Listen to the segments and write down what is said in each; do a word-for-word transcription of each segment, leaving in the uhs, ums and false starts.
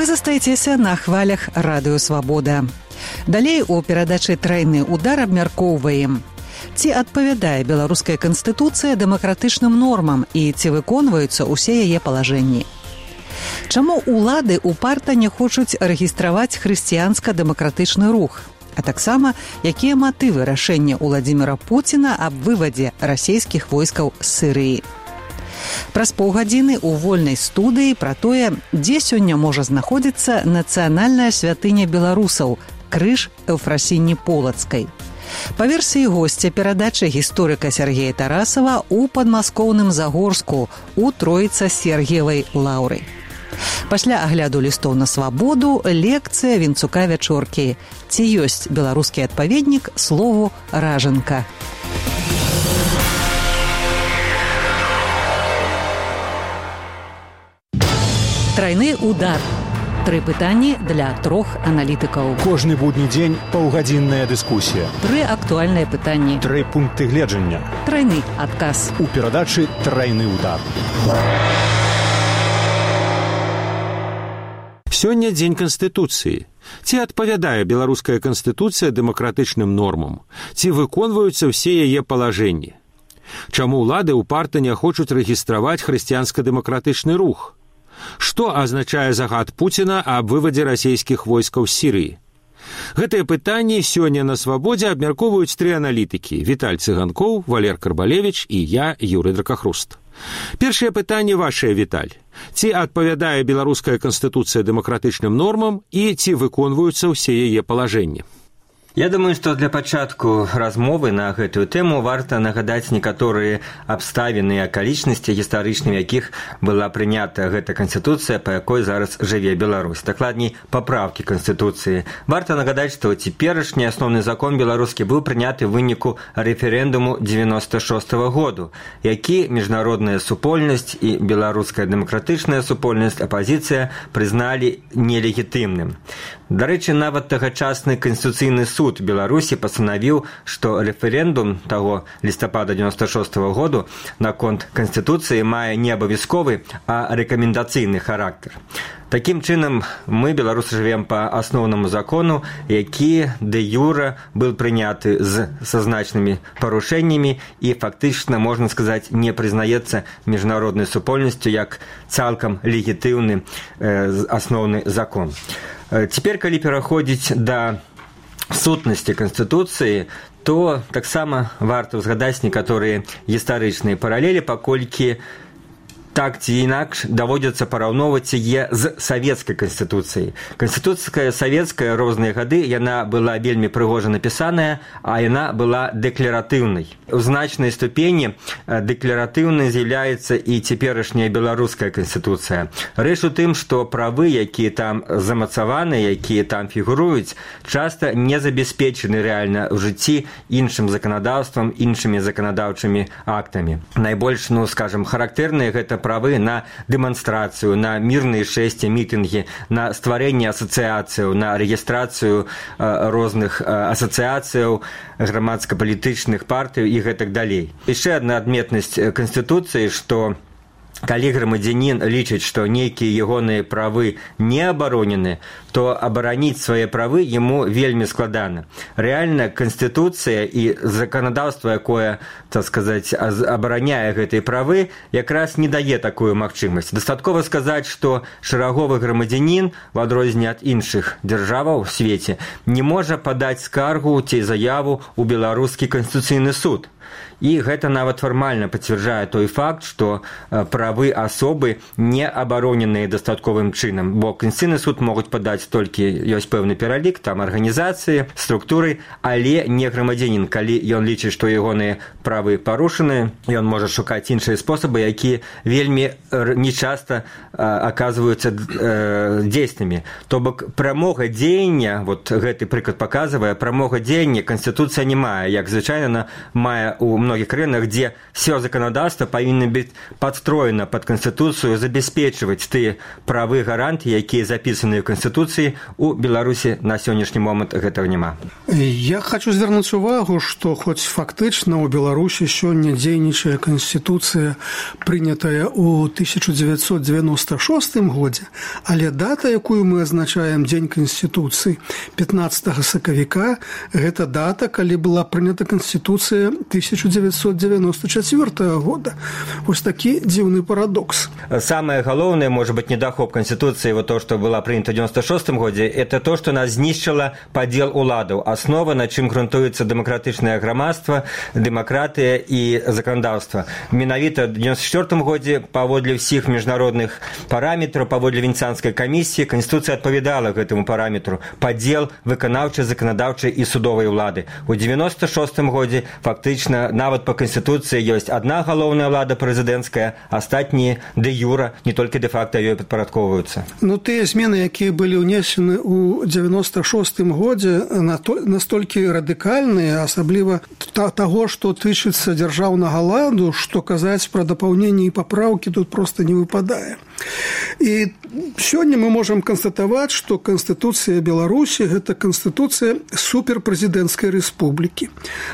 Вы застаецеся на хвалях Радыё Свабода. Далей у перадачы «Трайны удар» абмяркоўваем. Ці адпавядае беларуская канстытуцыя дэмакратычным нормам і ці выконваюцца ўсе яе палажэнні? Чаму улады упарта не хочуць рэгістраваць хрысціянска-дэмакратычны рух? А таксама, якія матывы рашэння Уладзіміра Пуціна аб вывадзе расійскіх войскаў з Сірыі? Праз паўгадзіны ў вольнай студыі пра тое, дзе сёння можа знаходзіцца нацыянальная святыня беларусаў – крыж Эўфрасіні Полацкай. Па версіі госця перадачы гісторыка Сергея Тарасава у падмаскоўным Загорску у Троіца-Сергіевай лаўры. Пасля агляду лістоў на свабоду лекцыя Вінцука Вячоркі. Ці ёсць беларускі адпаведнік слову «ражанка». Трайны удар. Тры пытанні для трох аналітыкаў. Кожны будні дзень паўгадзінная дыскусія. Тры актуальныя пытанні. Тры пункты гледжання. Трайны адказ. У перадачы «Трайны удар». Сёння дзень Канстытуцыі. Ці адпавядае беларуская канстытуцыя дэмакратычным нормам? Ці выконваюцца ўсе яе палажэнні? Чаму ўлады ўпарта не хочуць рэгістраваць хрысціянска-дэмакратычны рух? Што азначае загад Пуціна аб вывадзе расійскіх войскаў з Сірыі? Гэтыя пытанні сёння на свабодзе абмяркоўваюць тры аналітыкі – Віталь Цыганкоў, Валер Карбалевіч і я, Юрый Дракахруст. Першае пытанне вашае, Віталь. Ці адпавядае беларуская канстытуцыя дэмакратычным нормам і ці выконваюцца ўсе яе палажэнні? Я думаю, што для пачатку размовы на гэтую тэму варта нагадаць некаторыя абставіны і акалічнасці, гістарычнымі якіх была прынята гэта канстытуцыя, па якой зараз жыве Беларусь. Дакладней, папраўкі канстытуцыі. Варта нагадаць, што цяперашні асноўны закон беларускі быў прыняты ў выніку рэферэндуму дзевяноста шостага году, які міжнародная супольнасць і беларуская дэмакратычная супольнасць апазіцыя прызналі нелегітымным. Дарэчы, нават тагачасны канстытуцыйны суд Беларусі пастанавіў, што рэферэндум таго лістапада дзевяноста шостага году наконт канстытуцыі мае не абавязковы, а рэкамендацыйны характар. Такім чынам, мы, беларусы, жывем па асноўнаму закону, які дэ-юра быў прыняты з са значнымі парушэннямі і фактычна, можна сказаць, не прызнаецца міжнароднай супольнасцю як цалкам легітыўны э, асноўны закон. Цяпер, калі пераходзіць да сутнасці Канстытуцыі, то таксама варта ўзгадаць некаторыя гістарычныя паралелі, паколькі так ці інакш даводзіцца параўноўваць яе з савецкай канстытуцыяй. Канстытуцыя савецкая розныя гады, яна была вельмі прыгожа напісаная, а яна была дэкларатыўнай. У значнай ступені дэкларатыўнай з'яўляецца і цяперашняя беларуская канстытуцыя. Рэч у тым, што правы, якія там замацаваны, якія там фігуруюць, часта не забяспечаны рэальна ў жыцці іншым заканадаўствам, іншымі заканадаўчымі актамі. Найбольш, ну, скажам, характэрныя гэта правы на дэманстрацыю, на мірныя шэсці, мітынгі, на стварэнне асацыяцыяў, на рэгістрацыю э, розных э, асацыяцыяў, грамадска-палітычных партый і гэтак далей. Яшчэ адна адметнасць Канстытуцыі, што калі грамадзянін лічыць, што нейкія ягоныя правы не абаронены, то абараніць свае правы яму вельмі складана. Рэальна, Канстытуцыя і заканадаўства, якое, так сказаць, абараняе гэтыя правы, якраз не дае такую магчымасць. Дастаткова сказаць, што шараговы грамадзянін, у адрозненне ад іншых дзяржаваў у свеце, не можа падаць скаргу ці заяву ў беларускі канстытуцыйны суд. І гэта нават фармальна пацвярджае той факт, што правы асобы не абароненыя дастатковым чынам, бо Канстытуцыйны суд могуць падаць толькі, ёсць пэўны пералік, там арганізацыі, структуры, але не грамадзянін. Калі ён лічыць, што ягоныя правы парушаны, ён можа шукаць іншыя спосабы, якія вельмі нечаста аказваюцца э, дзейснымі. То бок прамога дзеяння, вот гэты прыклад паказвае, прамога дзеяння Канстытуцыя не мае, як звычайна мае у многіх краінах, дзе все законодаўства павінны быць падстроены павінна пад канстытуцыю забяспечваць тыя правы гаранты, якія запісаныя ў канстытуцыі. У Беларусі на сённяшні момант гэтага няма. Я хочу звярнуць увагу, што хоць фактычна ў Беларусі сёння дзейнічае канстытуцыя, прынятая ў тысяча дзевяцьсот дзевяноста шостым годзе, але дата, якую мы азначаем дзень канстытуцыі, пятнаццатага сакавіка, гэта дата, калі была прынята канстытуцыя тысяча дзевяцьсот девяносто четвёртого года. Вось такі дзіўны парадокс. Самое галоўнае, может быть, недахоп Конституции, вот то, что было принято в девяносто шестом году, это то, что нас знищило подел уладов. Основа, на чем грунтуется демократичное громадство, демократия и законодавство. Менавіта в девяносто четвёртом году, паводле всех международных параметров, паводле Венецианской комиссии, Конституция отповедала к этому параметру. Подел выканаўчай, законодаўчай и судовой улады. У девяносто шестом году, фактично, нават по Конституции есть одна галоўная ўлада прэзідэнцкая, астатнія де юра, не толькі де-факта ёй падпарадкоўваюцца. Ну, тыя змены, якія былі ўнесены ў девяносто шостым годзе, настолькі радыкальныя, асабліва таго, што тычыцца дзяржаўнага ладу, што казаць пра дапаўненні і папраўкі тут проста не выпадае. І сёння мы можам канстатаваць, што Канстытуцыя Беларусі – гэта Канстытуцыя суперпрэзідэнцкай рэспублікі.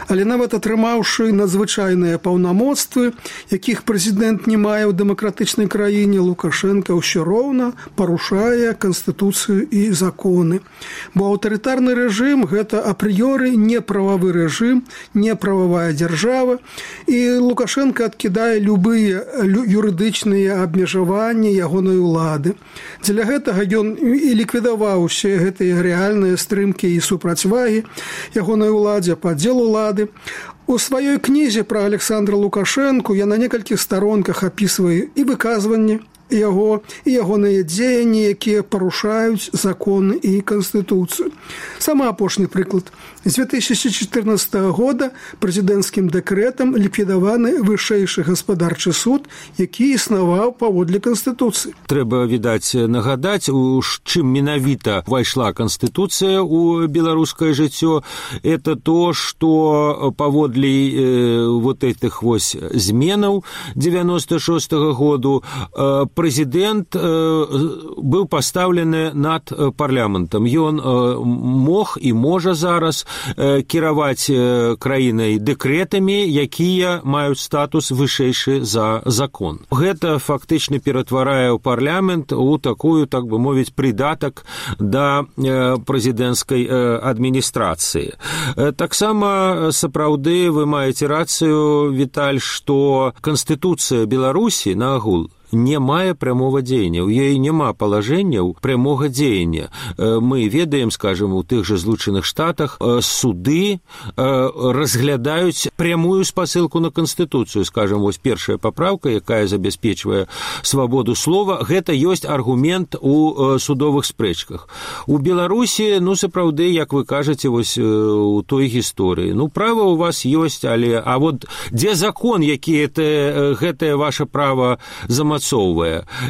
Але нават атрымаўшы надзвычайныя паўнамоцтвы, якіх прэзідэнт не мае ў дэмакратычнай краіне, Лукашенко ўсё роўна парушае Канстытуцыю і законы. Бо аўтарытарны рэжым – гэта апрыёры неправавы рэжым, неправавая дзяржава, і Лукашенко адкідае любыя юрыдычныя абмежаванні ягонай улады. Дзеля гэтага ён і ліквідаваў усе гэтыя рэальныя стрымкі і супрацьвагі ягонай уладзе, падзел улады. У сваёй кнізе пра Александра Лукашэнку я на некалькіх старонках апісваю і выказванні яго, і ягоныя дзеянні, якія парушаюць законы і Канстытуцыю. Самы апошні прыклад. З две тысячи четырнадцатого года прэзідэнцкім дэкрэтам ліквідаваны вышэйшы гаспадарчы суд, які існаваў паводле Канстытуцыі. Трэба, відаць, нагадаць, у чым менавіта увайшла Канстытуцыя ў беларускае жыццё. Это то, што паводле э, вот этих вось зменаў девяносто шестого году э, прэзідэнт э, быў пастаўлены над парламентам. Ён э, мог і можа зараз кіраваць краінай дэкрэтамі, якія маюць статус вышэйшы за закон. Гэта фактычна ператварае ў парламент у такую, так бы мовіць, придатак да прэзідэнцкай адміністрацыі. Таксама сапраўды вы маеце рацыю, Віталь, што Канстытуцыя Беларусі на агул не мае прямого дзеяння, у ёй няма палажэнняў прямога дзеяння. Мы ведаем, скажем, у тых жа Злучаных Штатах суды разглядаюць прямую спасылку на Канстытуцыю. Скажем, вось першая папраўка, якая забяспечвае свабоду слова, гэта ёсць аргумент у судовых спрэчках. У Беларусі, ну, сапраўды, як вы кажаце, вось у той гісторыі, ну, права у вас ёсць, але а вот дзе закон, які это, гэтае ваше права замацоўвае?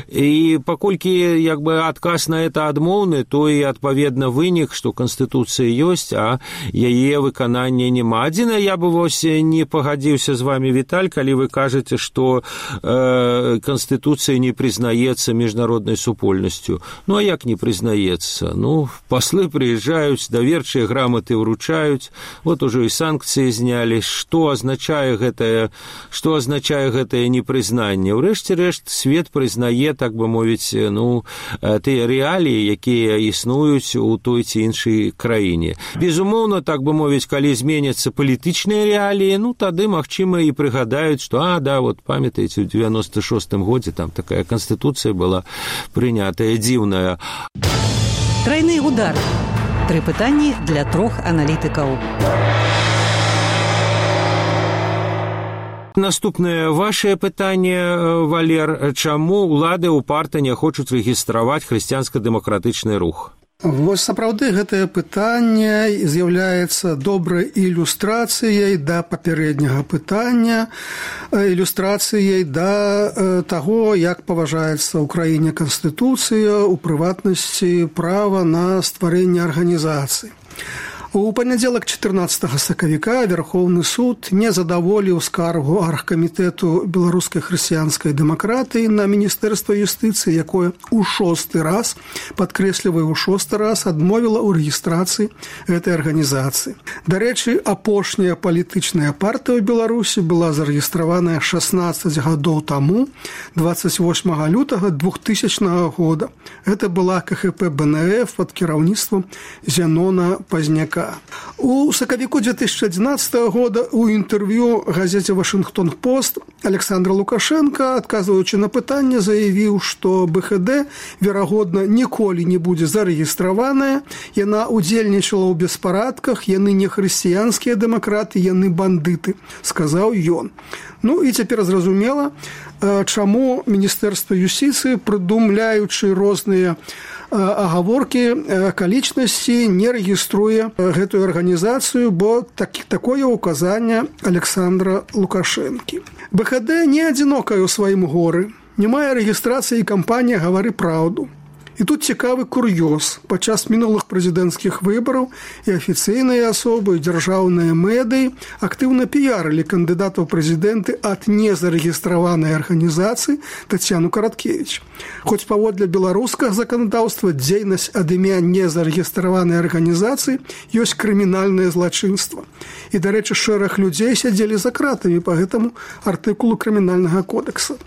І паколькі як бы адказ на это адмоўны, то і адпаведна вынік, што Канстытуцыя ёсць, а яе выканання няма. Адзіна, я бы вось не пагадзіўся з вами, Віталь, калі вы кажаце, што э, Канстытуцыя не прызнаецца міжнароднай супольнасцю. Ну, а як не прызнаецца? Ну, паслы прыязджаюць, даверчыя граматы ўручаюць, вот ужо і санкцыі знялі. Што азначае гэтае, што азначае гэтае непрызнанне? Урэшце рэшт, свет прызнае, так бы мовіць, ну, тыя рэаліі, якія існуюць у той ці іншай краіне. Безумоўна, так бы мовіць, калі зменяцца палітычныя рэаліі, ну, тады, магчыма, і прыгадаюць, што, а, да, вот, памятаеце, у девяносто шестом годзе там такая Канстытуцыя была прынятая, дзіўная. Тройны удар. Тры пытанні для трох аналітыкаў. Наступнае вашее пытанне, Валер. Чаму ўлады упарта не хочуць рэгістраваць хрысціянска-дэмакратычны рух? Вось сапраўды гэтае пытанне з'яўляецца добрай ілюстрацыяй да папярэдняга пытання, ілюстрацыяй да таго, як паважаецца ў краіне Канстытуцыя, у прыватнасці права на стварэнне арганізацый. У панядзелак чатырнаццатага сакавіка Верховны суд не задаволіў скаргу аргкамітэту беларускай хрысціянскай дэмакратыі на міністэрства юстыцыі, якое ў шосты раз, падкрэсліваю, ў шосты раз адмовіла ў рэгістрацыі гэтай арганізацыі. Дарэчы, апошняя палітычная партыя ў Беларусі была зарэгістраваная шаснаццаць гадоў таму, дваццаць восьмага лютага двухтысячнага года. Гэта была ка ха пэ бэ эн эф пад кіраўніцтвам Зянона Пазняка. У сакавіку две тысячи одиннадцатого года у інтэрв'ю газете «Вашингтон-Пост» Александр Лукашенко, адказваючы на пытанне, заявіў, што бэ ха дэ, верагодна, ніколі не будзе зарэгістраваная, яна удзельнічала ў беспарадках, яны не хрысціянскія дэмакраты, яны бандыты, сказаў ён. Ну і цяпер зразумела, чаму Міністэрства юстыцыі, прыдумляючы розныя агаворкі, акалічнасці, не рэгіструе гэтую арганізацыю, бо так, такое указанне Александра Лукашэнкі. бэ ха дэ не адзінокая ў сваім горы, не мае рэгістрацыі кампанія «Гавары праўду». І тут цікавы кур'ёз. Падчас мінулых прэзідэнцкіх выбараў і афіцыйныя асобы, і дзяржаўныя медыі актыўна піярылі кандыдатаў прэзідэнты ад незарэгістраванай арганізацыі Таццяну Караткевіч. Хоць паводле беларускага заканадаўства дзейнасць ад імя незарэгістраванай арганізацыі ёсць крымінальнае злачынства. І, дарэчы, шэраг людзей сядзелі за кратамі па гэтаму артыкулу крымінальнага кодекса.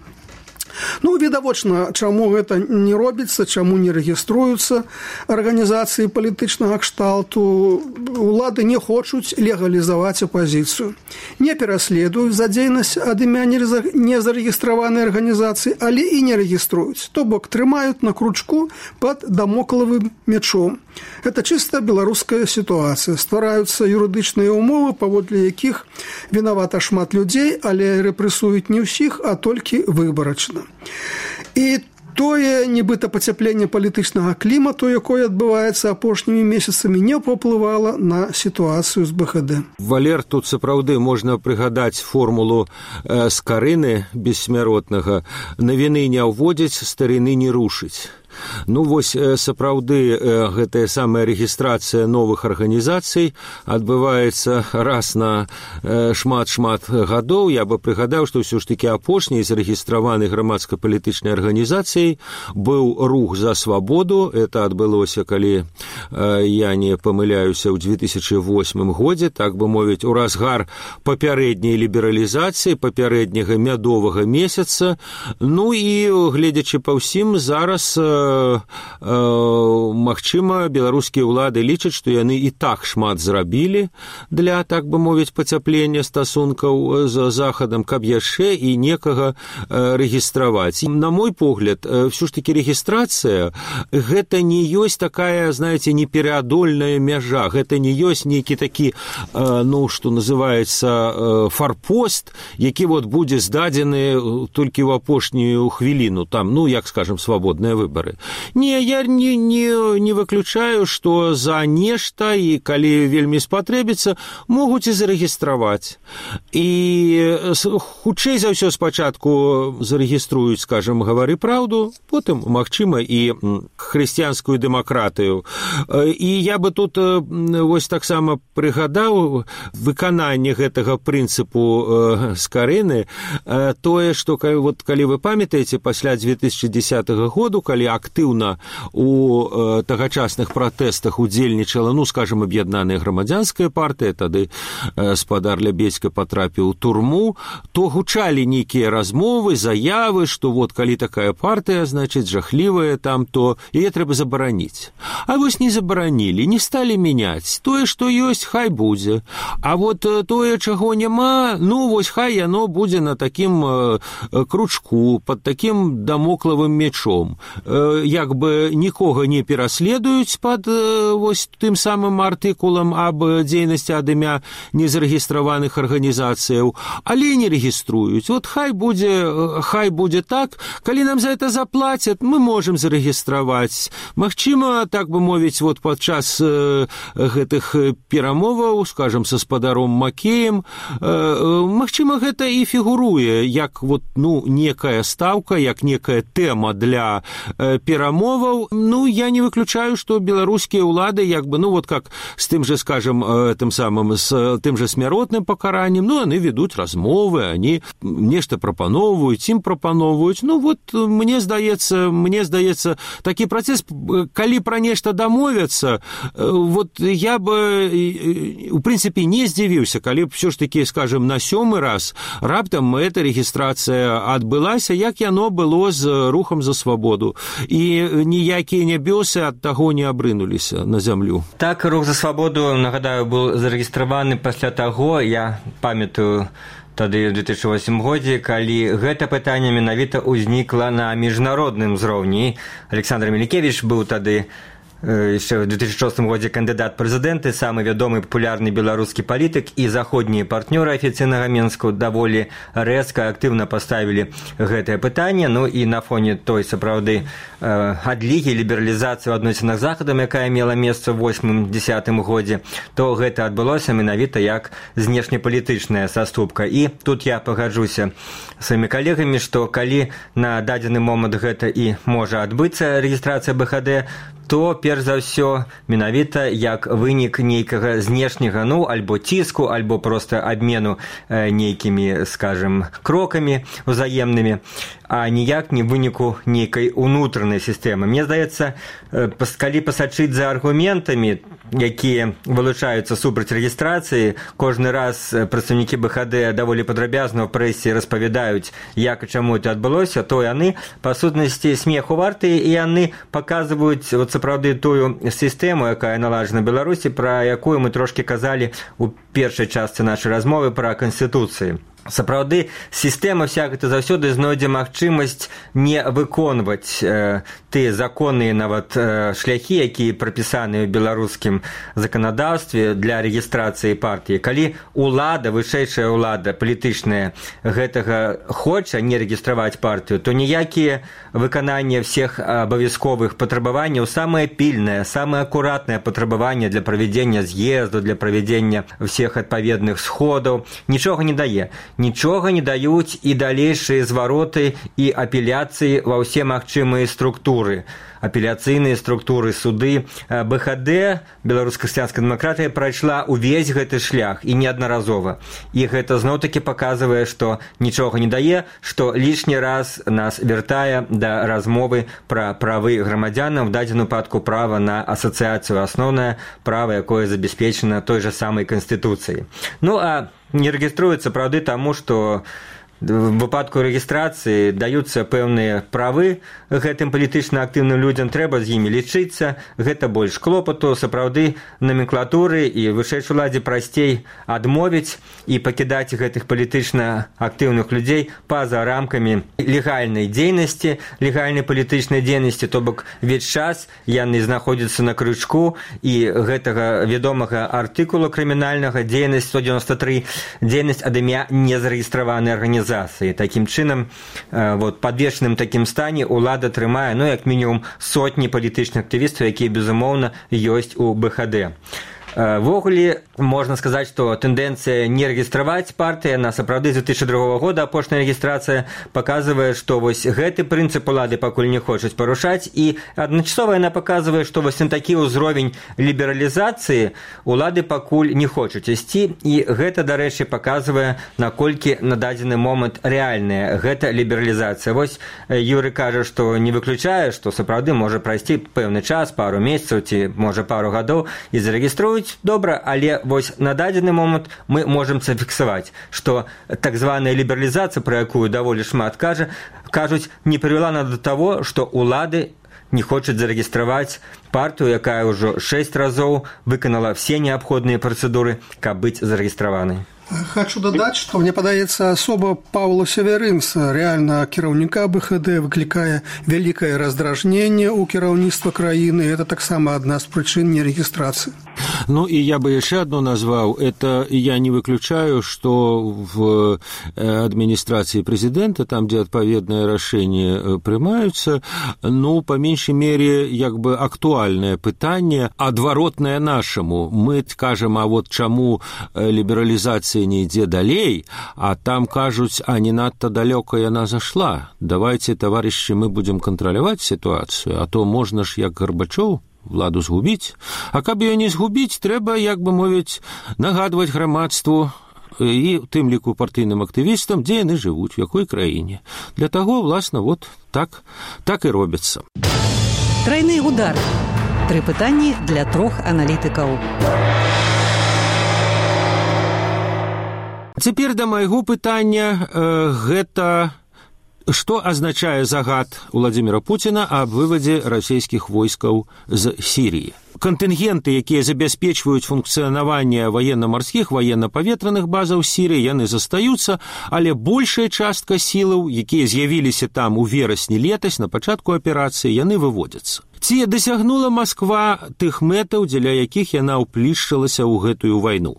Ну, відавочна, чаму гэта не робіцца, чаму не рэгіструюцца арганізацыі палітычнага кшталту. Улады не хочуць легалізаваць апазіцыю. Не пераследуюць за дзейнасць ад імя незарэгістраванай арганізацыі, але і не рэгіструюць. То бок трымаюць на кручку пад дамоклавым мячом. Гэта чыста беларуская сітуацыя. Ствараюцца юрыдычныя ўмовы, паводле якіх вінавата шмат людзей, але рэпрэсуюць не ўсіх, а толькі выбарачна. І тое, нібыта пацяпленне палітычнага клімату, якое адбываецца апошнімі месяцамі, не паўплывала на сітуацыю з бэ ха дэ. Валер, тут сапраўды можна прыгадаць формулу э, Скарыны бессмяротнага: «Навіны не ўводзяць, старыны не рушыць». Ну, вось, сапраўды, гэтая самая рэгістрацыя новых арганізацый адбываецца раз на шмат-шмат гадоў. Я бы прыгадаў, што ўсё ж такі апошняй зарэгістраванай грамадска-палітычнай арганізацыяй быў рух за свабоду. Это адбылося, калі я не памыляюся, ў две тысячи восьмым годзе, так бы мовіць, у разгар папярэдняй лібералізацыі, папярэдняга мядовага месяца. Ну і, гледзячы па ўсім, зараз магчыма, беларускія ўлады лічаць, што яны і так шмат зрабілі для, так бы мовіць, пацяплення стасункаў з захадам, каб яшчэ і некага рэгістраваць. На мой погляд, ўсё ж такі рэгістрацыя гэта не ёсць такая, знаеце, непераадольная мяжа, гэта не ёсць нейкі такі, ну, што называецца, фарпост, які вот будзе здадзены толькі ў апошнюю хвіліну, там, ну, як скажем, свабодныя выбары. Не, я не, не, не выключаю, што за нешта, і калі вельмі спатрэбіцца, могуць і зарэгістраваць. І хутчэй за ўсё спачатку зарэгіструюць, скажем, «Гавары праўду», потым, магчыма, і хрысціянскую дэмакратыю. І я бы тут вось таксама прыгадаў выкананне гэтага прынцыпу Скарыны, тое, што, вот, калі вы памятаеце, пасля две тысячи десятого году, калі актыўна у э, тагачасных пратэстах удзельнічала, ну, скажем, аб'яднаная грамадзянская партыя, тады э, спадар Лябедзька патрапіў у турму, то гучалі нейкія размовы, заявы, што вот калі такая партыя, значыць, жахлівая там, то яе трэба забараніць. А вось не забаранілі, не сталі мяняць. Тое, што ёсць, хай будзе. А вот тое, чаго няма, ну, вось хай яно будзе на такім э, кручку, пад такім дамоклавым мячом. Як бы нікога не пераследуюць пад вось тым самым артыкулам аб дзейнасці ад імя незарэгістраваных арганізацыяў, але не рэгіструюць. Вот хай будзе, хай будзе так, калі нам за это заплацяць, мы можам зарэгістраваць. Магчыма, так бы мовіць, вот падчас э, гэтых перамоваў, скажем, са спадаром Макеем, э, магчыма, гэта і фігуруе як вот, ну, некая стаўка, як некая тэма для э, перамоваў. Ну, я не выключаю, што беларускія ўлады, як бы, ну, вот как с тым же, скажем, тым самым, с тым же смяротным пакараннем, ну, яны ведуць размовы, они нешта прапаноўваюць, ім прапаноўваюць. Ну, вот, мне здаецца, мне здаецца, такі працэс, калі пра нешта дамовяцца, вот я бы, у прынцыпе, не здзівіўся, калі б ўсё ж такі, скажем, на сёмы раз раптам эта рэгістрацыя адбылася, як яно было з рухам за свабоду. І ніякія нябёсы ад таго не абрынуліся на зямлю. Так, рух за свабоду, нагадаю, быў зарэгістраваны пасля таго, я памятаю, тады ў две тысячы восьмым годзе, калі гэта пытанне менавіта ўзнікла на міжнародным узроўні. Александр Мелікевіч быў тады яшчэ ў две тысячы шостым годзе кандыдат прэзідэнты, самы вядомы папулярны беларускі палітык, і заходнія партнёры афіцыйнага Мінску даволі рэзка, актыўна паставілі гэтае пытанне. Ну і на фоне той, сапраўды, адлігі, лібералізацыі ў адносінах з Захадам, якая мела месца ў восьмым-дзясятым годзе, то гэта адбылося менавіта як знешнепалітычная саступка. І тут я пагаджуся сваімі калегамі, што калі на дадзены момант гэта і можа адбыцца рэгістрацыя бэ ха дэ, то, перш за ўсё, менавіта як вынік нейкага знешняга, ну, альбо ціску, альбо проста абмену э, нейкімі, скажем, крокамі узаемнымі, а ніяк не выніку нейкай унутранай сістэмы. Мне здаецца, э, калі пасачыць за аргументамі, якія вылучаюцца супраць рэгістрацыі, кожны раз прадстаўнікі бэ ха дэ даволі падрабязна ў прэсе распавядаюць, як і чаму это адбылося, то яны, па сутнасці, смеху вартыя, і яны паказваюць вот сапраўды тую сістэму, якая наладжана ў Беларусі, пра якую мы трошкі казалі ў першай частцы нашай размовы пра канстытуцыі. Сапраўды, сістэма вся гэта заўсёды знойдзе магчымасць не выконваць э, тыя законныя нават э, шляхі, якія прапісаны ў беларускім заканадаўстве для рэгістрацыі партыі. Калі ўлада, вышэйшая ўлада палітычная гэтага хоча не рэгістраваць партыю, то ніякія выкананне всех абавязковых патрабаванняў, самае пільнае, самае акуратнае патрабаванне для правядзення з'езду, для правядзення всех адпаведных сходаў, нічога не дае. Нічога не даюць і далейшыя звароты і апеляцыі ва ўсе магчымыя структуры. Апеляцыйныя структуры, суды. бэ ха дэ, беларуска-хрысціянская дэмакратыя, прайшла ўвесь гэты шлях і неаднаразова. І гэта зноў-такі паказвае, што нічога не дае, што лішні раз нас вяртае да размовы пра правы грамадзянаў, в дадзеным выпадку права на асацыяцыю, асноўнае права, якое забяспечана той жа самай канстытуцыяй. Ну, а не рэгіструецца, правды, таму, што в выпадку рэгістрацыі даюцца пэўныя правы гэтым палітычна актыўным людзям, трэба з імі лічыцца, гэта больш клопату, сапраўды номенклатуры і вышэйшай уладзе прасцей адмовіць і пакідаць гэтых палітычна актыўных людзей па-за рамкамі легальнай дзейнасці, легальнай палітычнай дзейнасці, то бок увесь час яны знаходзяцца на крючку і гэтага вядомага артыкула крымінальнага дзейнасць сто дзевяносто тры, дзейнасць ад імя незарэгістраванай арганізацыі. Такім чынам, вот, падвешаным такім стане ўлада трымае, ну, як мінімум, сотні палітычных актывістаў, якія, безумоўна, ёсць у бэ ха дэ. Ввогуле, можна сказаць, што тэндэнцыя не рэгістраваць партыі на сапраўды з две тысячы другога года апошняя рэгістрацыя паказвае, што вось гэты прынцып улады пакуль не хочуць парушаць, і адначасова яна паказвае, што вось на такі ўзровень лібералізацыі улады пакуль не хочуць ісці, і гэта, дарэчы, паказвае, наколькі на дадзены момант рэальная гэта лібералізацыя. Вось Юры кажа, што не выключае, што сапраўды можа прайсці пэўны час, пару месяцаў ці, можа, пару гадоў, і зарэгіструюць добра, але вось на дадзены момант мы можам зафіксаваць, што так званая лібералізацыя, пра якую даволі шмат кажа, кажуць, не прывяла да таго, што ўлады не хочуць зарэгістраваць партыю, якая ўжо шэсць разоў выканала все неабходныя працэдуры, каб быць зарэгістраванай. Хочу дадаць, што мне падаецца, асоба Паўла Северынца, рэальна кіраўніка бэ ха дэ, выклікае вялікае раздражненне ў кіраўніцтва краіны. Это таксама адна з прычын нерэгістрацыі. Ну, и я бы еще одно назвал. Это я не выключаю, что в администрации президента, там, где отповедные решения принимаются, ну, по меньшей мере, как бы актуальное питание, адваротное нашему. Мы скажем, а вот чему либерализация не идет далее, а там кажут, а не надто далеко и она зашла. Давайте, товарищи, мы будем контролировать ситуацию, а то можно ж, як Горбачев, владу згубіць, а каб ее не згубіць, трэба, як бы мовіць, нагадваць грамадству і тым ліку партыйным актывістам, дзе яны жывуць, у якой краіне. Для таго, власна, вот так, так і робіцца. Тройны удар. Тры пытанні для трох аналітыкаў. Цяпер да майго пытання э, гэта... Што азначае загад Владимира Путина аб вывадзе расійскіх войскаў з Сіріі? Кантынгенты, якія забяспечваюць функцыянаванне военно-марскіх, военно-паветраных базаў Сірыі, яны застаюцца, але большая частка сілаў, якія з'явіліся там у верасні летась, на пачатку аперацыі, яны выводзяцца. Ці дасягнула Масква тых мэтаў, дзеля якіх яна ўплішчылася ў гэтую вайну?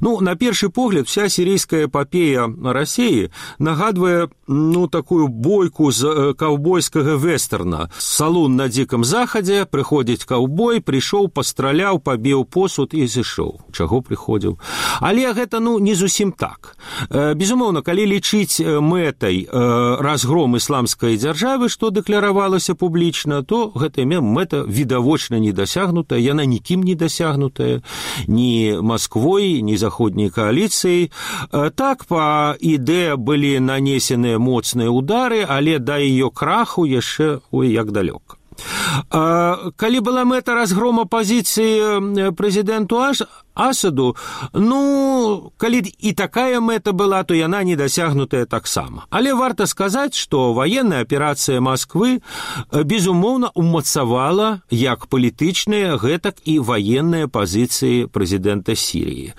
Ну, на першы погляд, вся сирийская эпопея России нагадывает, ну, такую бойку з каўбойскага вестерна. Салун на Диком Заходе, приходит каўбой, пришел, постралял, побил посуд и зашел. Чаго приходил? Але гэта, ну, не зусім так. Безумоўна, калі лічыць мэтай разгром исламской державы, что декларавалася публічна, то гэта мэта відавочна не досягнутая, яна нікім не досягнутая, ні Москвой, ни заходней коалицией. Так, по идее, были нанесены моцныя удары, але да ее краху яшчэ ой як далёка. Калі была мэта разгрома пазіцыі прэзідэнту Асаду, ну, калі і такая мэта была, то яна не дасягнутая таксама. Але варта сказаць, што военная аперацыя Масквы, безумоўна, умацавала як палітычныя, гэтак і военныя пазіцыі прэзідэнта Сірыі.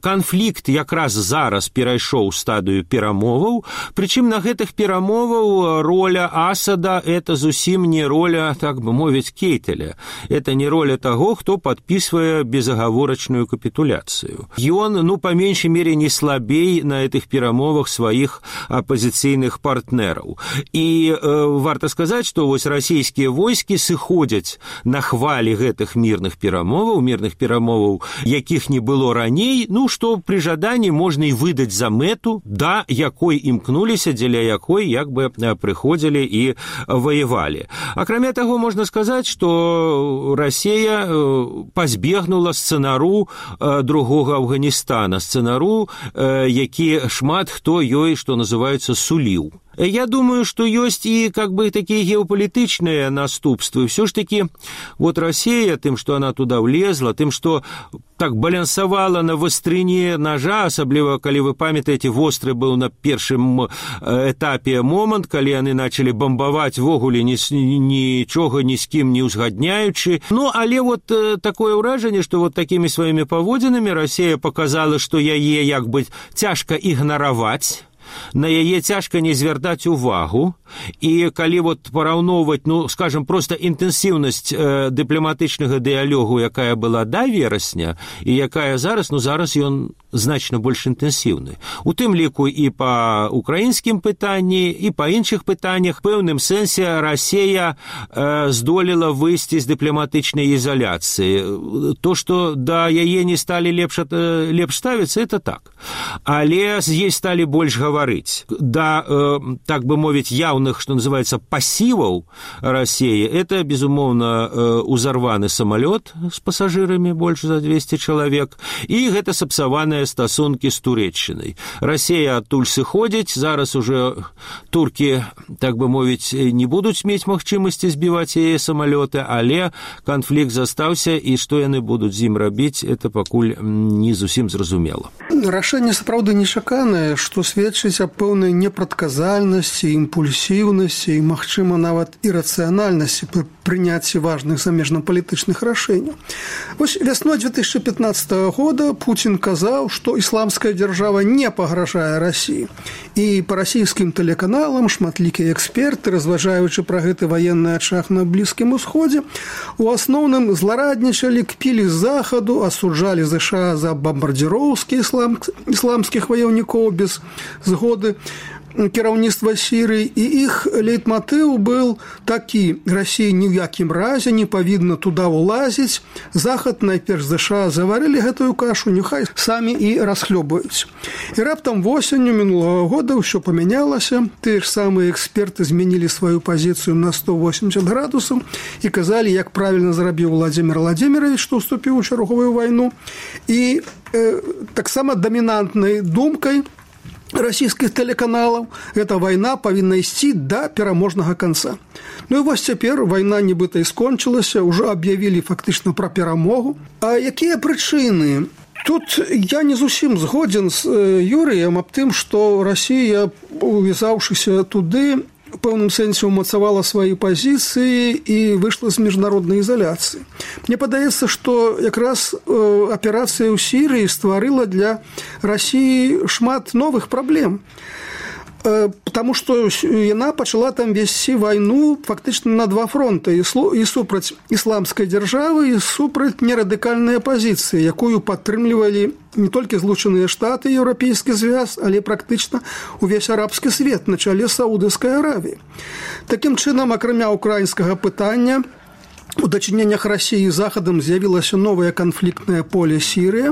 Канфлікт якраз зараз перайшоў стадыю перамоваў, прычым на гэтых перамоваў роля Асада – это зусім не роля, так бы мовіць, Кейтеля. Это не роля таго, хто падпісвае безагаворачную капитуляцию. И он, ну, по меньшей мере, не слабей на этих перамовах своих оппозиционных партнеров. И э, варто сказать, что вот российские войски сыходят на хвале гэтых мирных перамоваў, мирных перамоваў, якіх не было раней, ну, что при жадании можно и выдать за мэту, да, якой імкнуліся, дзеля якой, як бы, приходили и воевали. А кроме того, можно сказать, что Россия пазбегнула сцэнару другого Афганистана, сцэнару, які шмат хто ёй, что называется, суліў. Я думаю, что есть и как бы такие геополитичные наступства. Все ж таки, вот Россия, тем, что она туда влезла, тем, что так балансовала на вострине ножа, особливо, коли вы памятаете, вострый был на первом этапе момент, коли они начали бомбовать в огуле, ничего ни с кем не узгодняючи. Ну, але вот такое уражение, что вот такими своими поводинами Россия показала, что яе, як бы, тяжко игноровать, на яе цяжка не звяртаць увагу, і калі вот параўноўваць, ну, скажем, просто інтэнсіўнасць э, дыпламатычнага дыялогу, якая была да верасня, і якая зараз, ну, зараз ён значна больш інтэнсіўны. У тым ліку і па украінскім пытанні, і па іншых пытаннях, в пэўным сэнсе Расія э, здолела выйсці з дыпламатычнай ізаляцыі. То, што да яе не сталі лепш, э, лепш ставіцца, это так. Але з ей сталі больш гаварыць. Да, э, так бы мовіць, яўных, что называется, пассивов России, это, безумоўно, э, узорваны самолет с пассажирами, больше за двести человек, и гэта сапсаваныя стасункі з Турэччынай. Россия адтуль сыходзіць, зараз уже турки, так бы мовіць, не будуць мець магчымасці збіваць яе самолеты, але канфлікт застаўся, і што яны будуць з ім рабіць, это пакуль не зусім зразумела. Рашэнне сапраўды нечаканае, што сведчыць сведчыць аб пэўнай непрадказальнасці, імпульсіўнасці і, магчыма, нават ірацыянальнасці пры прыняцці важных замежна-палітычных рашэнняў. Вось вясной две тысячи пятнадцатого года Путін казаў, што ісламская дзяржава не пагражае Расіі. І па расійскім тэлеканалам шматлікія эксперты, разважаючы пра гэты ваенны ачаг на Блізкім Усходзе, у асноўным злараднічалі, кпілі з захаду, асуджалі ЗША за бомбардзіроўскі ислам, ісламскіх ваяўнікоў без згоды кіраўніцтва Сірыі, і іх лейтматыў быў такі: Расія ні ў якім разе не павінна туда ўлазіць, захад, найперш ЗША, заварылі гэтую кашу, няхай самі і расхлёбаюць. І раптам восенню мінулага года ўсё памянялася, тыя ж самыя эксперты змянілі сваю пазіцыю на сто восемьдесят градусаў і казалі, як правільна зрабіў Владзімір Владзімірович, што ўступіў у чарговую вайну. І э, таксама дамінантнай думкай расійскіх тэлеканалаў эта вайна павінна ісці да пераможнага канца. Ну і вось цяпер вайна нібыта і скончылася, ўжо аб'явілі фактычна пра перамогу. А якія прычыны? Тут я не зусім згодзін з Юрыем аб тым, што Расія, увязаўшыся туды, у пэўным сэнсе умацавала свае пазіцыі і выйшла з міжнароднай ізаляцыі. Мне падаецца, што якраз аперацыя ў Сірыі стварыла для Расіі шмат новых праблем. Потому што яна пачала там весці вайну фактычна на два фронты: і супраць ісламскай дзяржавы, і супраць нерадыкальнай апазіцыі, якую падтрымлівалі не толькі Злучаныя Штаты, Еўрапейскі звяз, але практычна увесь арабскі свет на чале Саудаўскай Аравіі. Такім чынам, акрамя украінскага пытання, у дачыненнях Расіі з Захадам з'явілася новае канфліктнае поле Сірыя,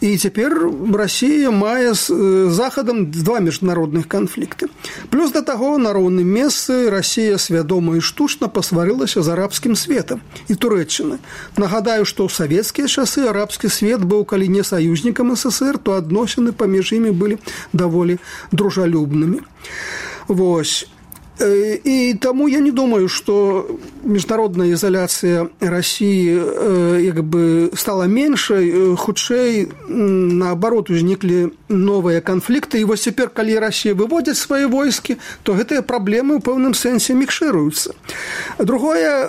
і цяпер Расія мае з Захадам два міжнародных канфлікты. Плюс да таго, на роўным месцы Расія свядома і штучна пасварылася з арабскім светам і Турэччынай. Нагадаю, што ў савецкія часы арабскі свет быў, калі не саюзнікам СССР, то адносіны паміж імі былі даволі дружалюбнымі. Вось. І таму я не думаю, што міжнародная ізаляцыя Расіі як бы стала меншай, хутчэй наоборот узніклі новыя канфлікты. І вось цяпер, калі Расія выводзіць свае войскі, то гэтыя праблемы ў пэўным сэнсе мікшыруюцца. Другое,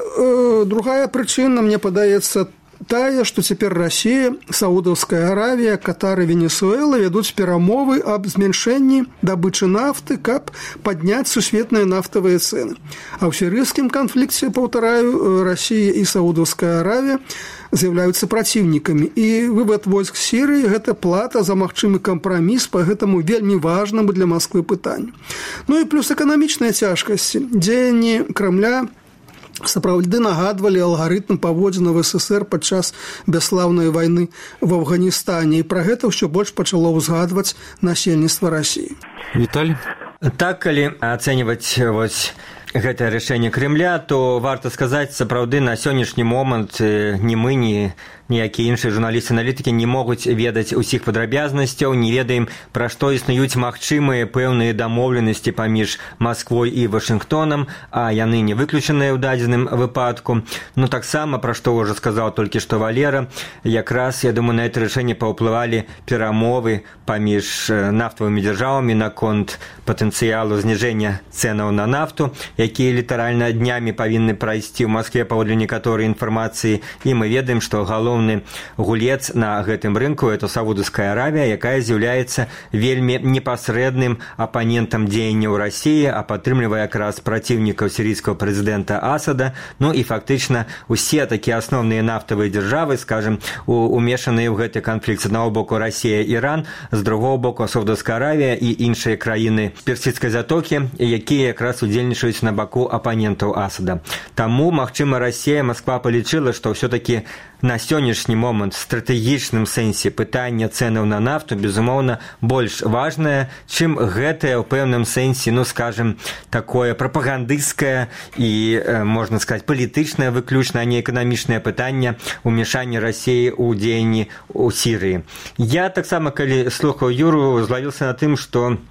другая прычына, мне падаецца, тая, што цяпер Расія, Саудаўская Аравія, Катар і Венесуэла вядуць перамовы аб змяншэнні дабычы нафты, каб падняць сусветныя нафтавыя цэны. А ў сірыйскім канфлікце, паўтараю, Расія і Саудаўская Аравія з'яўляюцца праціўнікамі. І вывад войск Сірыі – гэта плата за магчымы кампраміс па гэтаму вельмі важнаму для Масквы пытанню. Ну і плюс эканамічныя цяжкасці. Дзеянні Крамля сапраўды нагадвалі алгарытм паводзінаў СССР падчас бясслаўнай вайны в Афганістане, і пра гэта ўсё больш пачало ўзгадваць насельніцтва Расіі. Віталь? Так, калі ацэньваць вось гэтае рашэнне Кремля, то варта сказаць, сапраўды на сённяшні момант ні мы, ні ніякія іншыя журналісты-аналітыкі не могуць ведаць усіх падрабязнасцяў, не ведаем, пра што існуюць магчымыя пэўныя дамоўленасці паміж Масквой і Вашынгтонам, а яны не выключаныя ў дадзеным выпадку. Ну, таксама, пра што ўжо сказаў толькі што Валера, якраз, я думаю, на гэта рашэнне паўплывалі перамовы паміж нафтавымі дзяржавамі наконт патэнцыялу зніжэння цэнаў на нафту, якія літаральна днямі павінны прайсці ў Маскве паводле некаторай інфармацыі, і мы ведаем, што галоўны гулец на гэтым рынку – это Саудаўская Аравія, якая з'яўляецца вельмі непасрэдным апанентам дзеянняў Расіі, а падтрымлівае якраз праціўнікаў сірійскага прэзідэнта Асада. Ну і фактычна усе такія асноўныя нафтавыя дзяржавы, скажем, умешаныя ў гэты канфлікт. З аднаго боку Расія, Іран, з другого боку Саудаўская Аравія і іншыя краіны Персідскай затокі, якія якраз удзельнічаюць на баку апанентаў Асада. Таму, магчыма, Расія, Масква палічыла, што ўсё-такі на сённяшні момант в стратэгічным сэнсе пытання цэнаў на нафту, безумоўна, больш важнае, чым гэтае ў пэўным сэнсе, ну, скажем, такое прапагандысцкае і, можна сказаць, палітычнае выключна, а не эканамічнае пытанне ўмешання Расіі ў дзеянні ў Сірыі. Я таксама, калі слухаў Юру, злавіўся на тым, што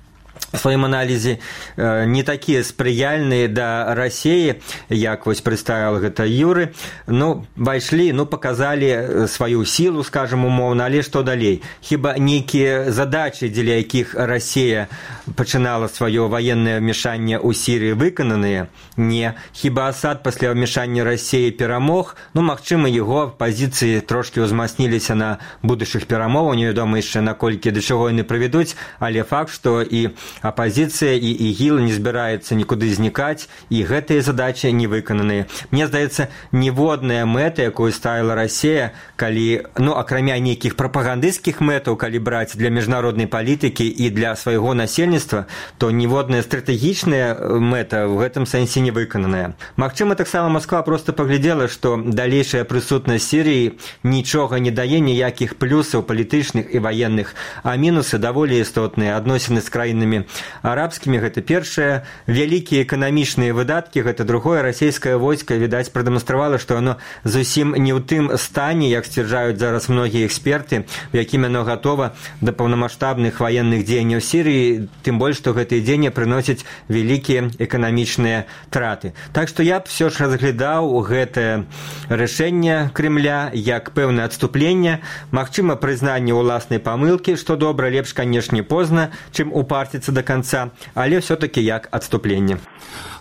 сваім аналізе не такія спрыяльныя да Расіі, як вось прадставіў гэта Юры. Ну, пайшлі, ну, паказалі сваю сілу, скажам, умоўна, але што далей? Хіба нейкія задачы, дзеля якіх Расія пачынала сваё ваеннае ўмешанне ў Сірыі, выкананыя? Не. Хіба Асад пасля ўмешання Расіі перамог? Ну, магчыма, яго пазіцыі трошкі ўзмацніліся на будучых перамовах, невядома яшчэ наколькі да чаго яны прывядуць, але факт, што і апазіцыя і ігіл не збіраецца нікуды знікаць, і гэтыя задачы не выкананыя. Мне здаецца, ніводная мэта, якую ставіла Расія, калі, ну, акрамя нейкіх прапагандысцкіх мэтаў, калі браць для міжнароднай палітыкі і для свайго насельніцтва, то ніводная стратэгічная мэта ў гэтым сэнсе не выкананая. Магчыма, таксама Масква проста паглядзела, што далейшая прысутнасць Сірыі нічога не дае, ніякіх плюсаў палітычных і ваенных, а мінусы даволі істотныя. Адносіны з краінамі арабскімі, гэта першае, вялікія эканамічныя выдаткі, гэта другое. Расійскае войска, відаць, прадэманстравала, што оно зусім не ў тым стане, як сцвярджаюць зараз многія эксперты, у якім яно гатова да паўнамаштабных ваенных дзеянняў Сірыі, тым больш, што гэтыя дзеянні прыносяць вялікія эканамічныя траты. Так што я б все ж разглядаў гэтае рашэнне Кремля як пэўнае адступленне, магчыма, прызнанне ўласнай памылкі, што добра, лепш, канешне, позна, чым упарціцца до конца, але все-таки як адступленне.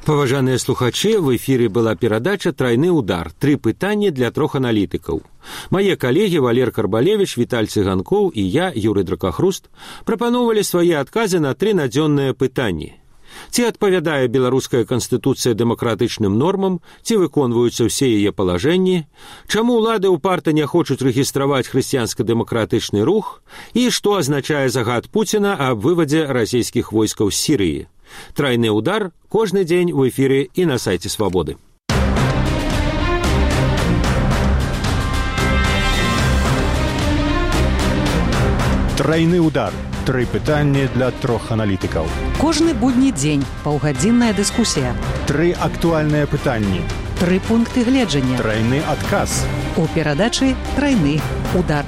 Паважаныя слухачы, в эфіры была перадача «Трайны удар». Тры пытанні для трох аналітыкаў. Мае калегі Валер Карбалевіч, Віталь Цыганкоў і я, Юрый Дракахруст, прапановалі свае адказы на тры надзённыя пытанні. Ці адпавядае беларуская канстытуцыя дэмакратычным нормам, ці выконваюцца ўсе яе палажэнні, чаму ўлады ўпарта не хочуць рэгістраваць хрысціянска-дэмакратычны рух і што азначае загад Пуціна аб вывадзе расійскіх войскаў з Сірыі. Трайны удар кожны дзень у эфіры і на сайце Свабоды. Трайны удар. Тры пытанні для трох аналітыкаў. Кожны будні дзень паўгадзінная дыскусія. Тры актуальныя пытанні. Тры пункты гледжання. Трайны адказ. У перадачы «Трайны удар».